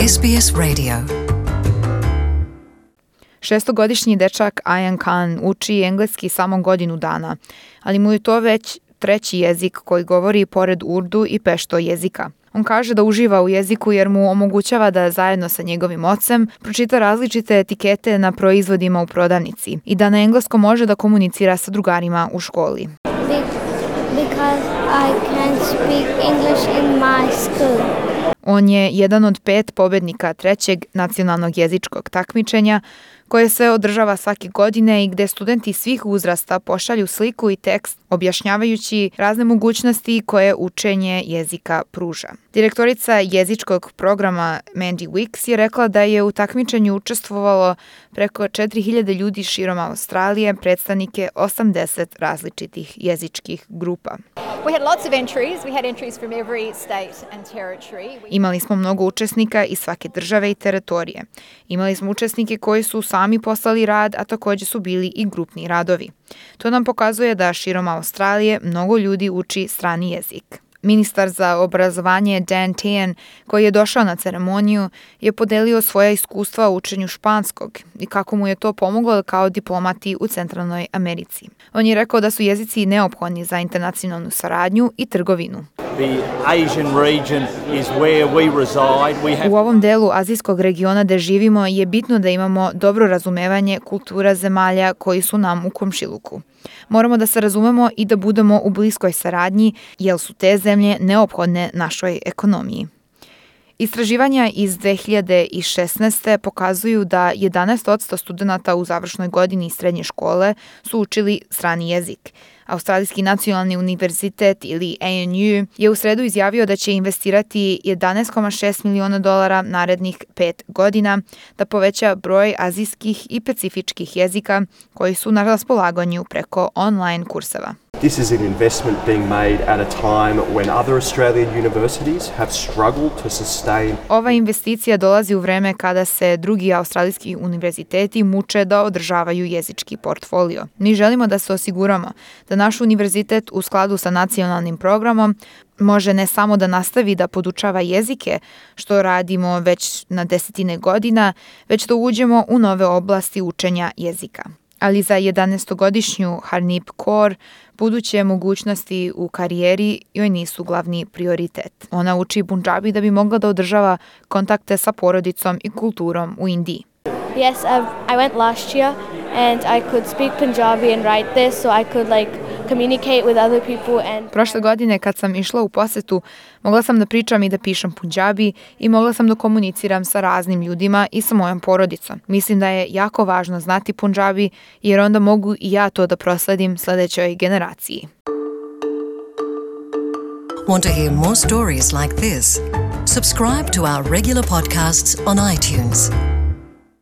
SBS Radio. Šestogodišnji dečak Ayan Khan uči engleski samo godinu dana, ali mu je to već treći jezik koji govori pored urdu i pešto jezika. On kaže da uživa u jeziku jer mu omogućava da zajedno sa njegovim ocem pročita različite etikete na proizvodima u prodavnici i da na engleskom može da komunicira sa drugarima u školi. Because I can speak English in my school. On je jedan od 5 pobednika trećeg nacionalnog jezičkog takmičenja koje se održava svake godine i gde studenti svih uzrasta pošalju sliku i tekst objašnjavajući razne mogućnosti koje učenje jezika pruža. Direktorica jezičkog programa Mandy Wicks je rekla da je u takmičenju učestvovalo preko 4000 ljudi širom Australije, predstavnike 80 različitih jezičkih grupa. We had lots of entries. We had entries from every state and territory. Imali smo mnogo učesnika iz svake države i teritorije. Imali smo učesnike koji su sami poslali rad, a također su bili i grupni radovi. To nam pokazuje da širom Australije mnogo ljudi uči strani jezik. Ministar za obrazovanje Dan Tehan, koji je došao na ceremoniju, je podelio svoja iskustva u učenju španskog i kako mu je to pomoglo kao diplomati u Centralnoj Americi. On je rekao da su jezici neophodni za internacionalnu saradnju i trgovinu. U ovom delu azijskog regiona gde živimo je bitno da imamo dobro razumevanje kultura zemalja koji su nam u komšiluku. Moramo da se razumemo i da budemo u bliskoj saradnji, jer su te zemlje neophodne našoj ekonomiji. Istraživanja iz 2016. pokazuju da 11% studenata u završnoj godini srednje škole su učili strani jezik. Australijski nacionalni univerzitet ili ANU je u sredu izjavio da će investirati $11,6 miliona narednih 5 godina da poveća broj azijskih i pacifičkih jezika koji su na raspolaganju preko online kurseva. This is an investment being made at a time when other Australian universities have struggled to sustain. Ova investicija dolazi u vreme kada se drugi australijski univerziteti muče da održavaju jezički portfolio. Mi želimo da se osiguramo da naš univerzitet u skladu sa nacionalnim programom može ne samo da nastavi da podučava jezike, što radimo već na desetine godina, već da uđemo u nove oblasti učenja jezika. Ali za 11-godišnju Harneep Kaur buduće mogućnosti u karijeri joj nisu glavni prioritet. Ona uči Punjabi da bi mogla da održava kontakte sa porodicom i kulturom u Indiji. Yes, I went last year and I could speak Punjabi and write this, so I could communicate with other people and... Prošle godine kad sam išla u posetu, mogla sam da pričam i da pišem Punjabi i mogla sam da komuniciram sa raznim ljudima i sa mojom porodicom. Mislim da je jako važno znati Punjabi jer onda mogu i ja to da prosledim sledećoj generaciji. Want to hear more stories like this? Subscribe to our regular podcasts on iTunes.